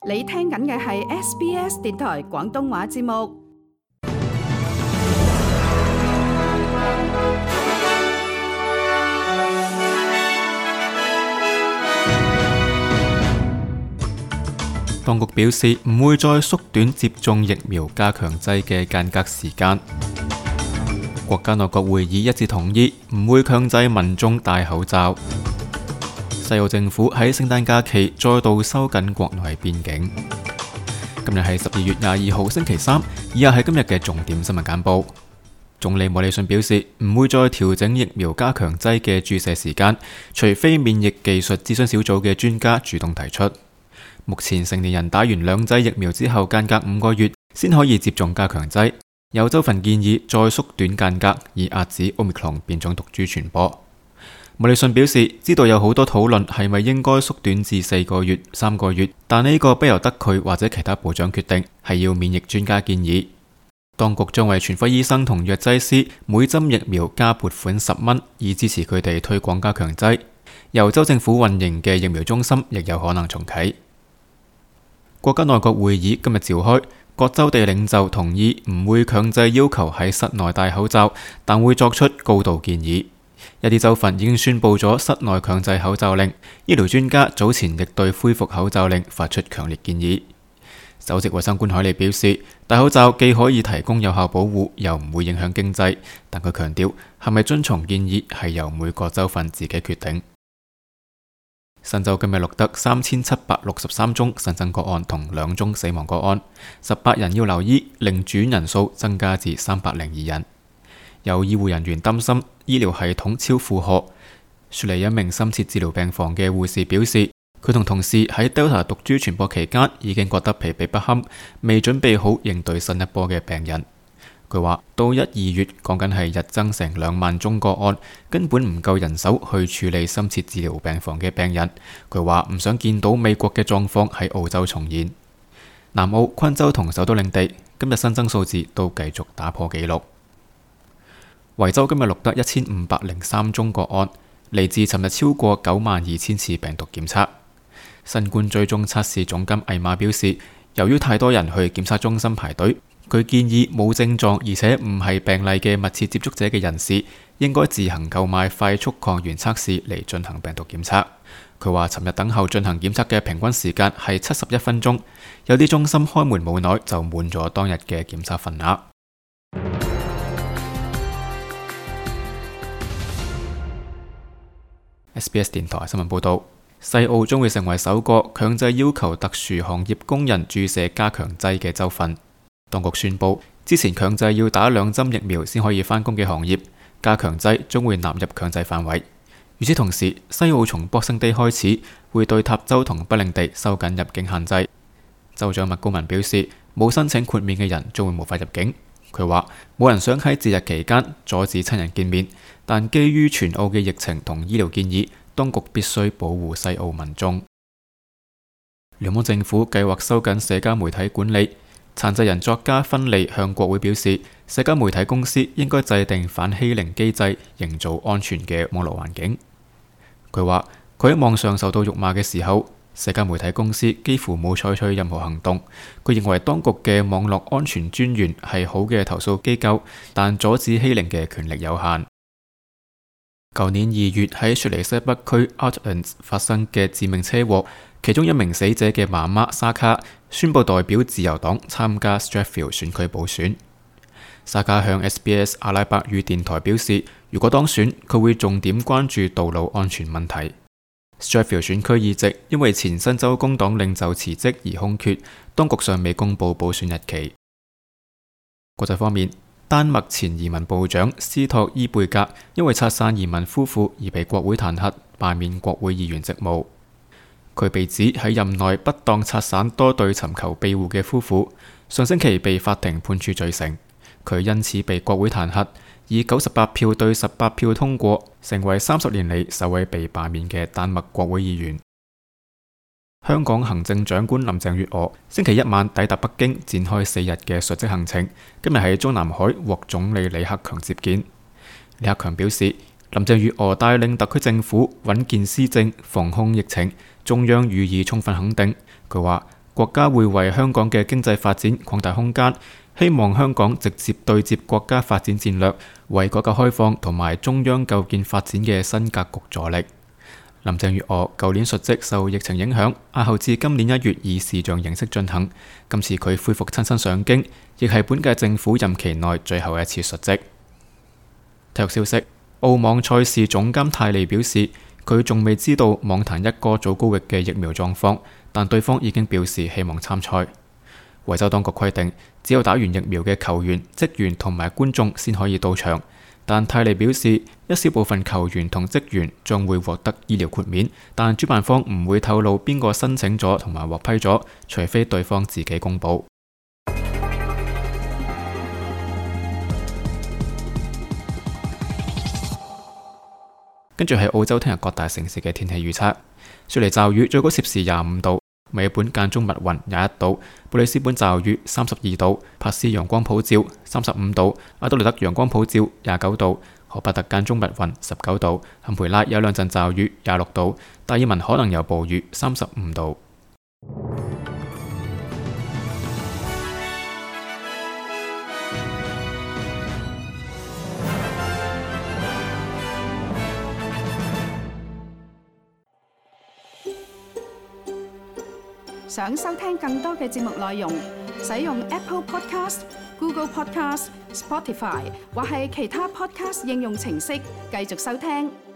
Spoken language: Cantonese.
你聽緊嘅係 SBS 電台廣東話節目。當局表示唔會再縮短接種疫苗加強劑嘅間隔時間。國家內閣會議一致同意唔會強制民眾戴口罩。西澳政府喺聖誕假期再度收緊國內邊境。今日係12月22號星期三，以下係今日嘅重點新聞簡報。總理莫里遜表示唔會再調整疫苗加強劑嘅注射時間，除非免疫技術諮詢小組嘅專家主動提出。目前成年人打完2劑疫苗之後，間隔5個月先可以接種加強劑。有州份建議再縮短間隔，以遏止 Omicron 變種毒株傳播。莫里遜表示，知道有好多討論係咪應該縮短至4個月、3個月，但呢個不由得佢或者其他部長決定，係要免疫專家建議。當局將為全科醫生同藥劑師每針疫苗加撥款10蚊，以支持佢哋推廣加強劑。由州政府運營嘅疫苗中心亦有可能重啟。國家內閣會議今日召開，各州地領袖同意唔會強制要求喺室內戴口罩，但會作出高度建議。一啲州份已經宣布咗室內強制口罩令，醫療專家早前亦對恢復口罩令發出強烈建議。首席衛生官海利表示，戴口罩既可以提供有效保護，又唔會影響經濟，但佢強調係咪遵從建議係由每個州份自己決定。新州今日錄得3763宗新增個案同2宗死亡個案，18人要留醫，令住院人數增加至302人。有醫護人員擔心醫療系統超負荷。雪梨一名深切治療病房嘅護士表示，佢同同事喺 Delta 毒株傳播期間已經覺得疲憊不堪，未準備好應對新一波嘅病人。佢話到1、2月講緊係日增成2萬宗個案，根本唔夠人手去處理深切治療病房嘅病人。佢話唔想見到美國嘅狀況喺澳洲重現。南澳、昆州同首都領地今日新增數字都繼續打破紀錄。維州今日錄得1503宗個案，嚟自尋日超過92000次病毒檢測。新冠追蹤測試總監艾瑪表示，由於太多人去檢測中心排隊，佢建議冇症狀而且唔係病例嘅密切接觸者嘅人士，應該自行購買快速抗原測試嚟進行病毒檢測。佢話尋日等候進行檢測嘅平均時間係71分鐘，有啲中心開門冇耐就滿咗當日嘅檢測份額。SBS 電台新聞報道，西澳將會成為首個強制要求特殊行業工人注射加強劑嘅州份。當局宣布，之前強制要打2針疫苗先可以返工嘅行業，加強劑將會納入強制範圍。與此同時，西澳從 Boxing Day 開始會對塔州同北領地收緊入境限制。州長麥高文表示，冇申請豁免嘅人將會無法入境。佢話冇人想喺節日期間阻止親人見面，但基於全澳嘅疫情同醫療建議，當局必須保護西澳民眾。聯邦政府計劃收緊社交媒體管理。殘疾人作家芬利向國會表示，社交媒體公司應該制定反欺凌機制，營造安全嘅網絡環境。佢話佢喺網上受到辱罵嘅時候，社交媒體公司幾乎冇採取任何行動。佢認為當局嘅網絡安全專員係好嘅投訴機構，但阻止欺凌嘅權力有限。舊年2月喺雪梨西北區 Artlands 發生嘅致命車禍，其中一名死者嘅媽媽沙卡宣布代表自由黨參加 Strathfield 選區補選。沙卡向 SBS 阿拉伯語電台表示，如果當選，佢會重點關注道路安全問題。Strathfield 選區議席因為前新州工黨領袖辭職而空缺，當局尚未公布補選日期。國際方面，丹麥前移民部長斯托伊貝格因為拆散移民夫婦而被國會彈劾，罷免國會議員職務。佢被指喺任內不當拆散多對尋求庇護嘅夫婦，上星期被法庭判處罪成。佢因此被國會彈劾，以98票對18票通過，成為30年嚟首位被罷免嘅丹麥國會議員。香港行政長官林鄭月娥星期一晚抵達北京，展開4日嘅述職行程。今日喺中南海獲總理李克強接見。李克強表示，林鄭月娥帶領特區政府穩健施政、防控疫情，中央予以充分肯定。佢話國家會為香港嘅經濟發展擴大空間，希望香港直接對接國家發展戰略，為改革開放同埋中央構建發展嘅新格局助力。林鄭月娥舊年述職受疫情影響，押後至今年1月以視像形式進行。今次佢恢復親身上京，亦係本屆政府任期內最後一次述職。體育消息：澳網賽事總監泰利表示，佢仲未知道網壇一哥祖高域嘅疫苗狀況，但對方已經表示希望參賽。維州當局規定，只有打完疫苗嘅球員、職員同埋觀眾先可以到場。但泰利表示，一小部分球員同職員將會獲得醫療豁免，但主辦方唔會透露邊個申請咗同埋獲批咗，除非對方自己公佈。跟住係澳洲聽日各大城市嘅天氣預測：雪梨驟雨，最高攝氏25度；墨爾本間中密雲21度；布里斯本驟雨32度；珀斯陽光普照35度；阿德萊德陽光普照29度；荷伯特間中密雲19度；坎培拉有兩陣驟雨26度；達爾文可能有暴雨35度。想收聽更多嘅節目內容，使用 Apple Podcast、Google Podcast、Spotify 或係其他 Podcast 應用程式繼續收聽。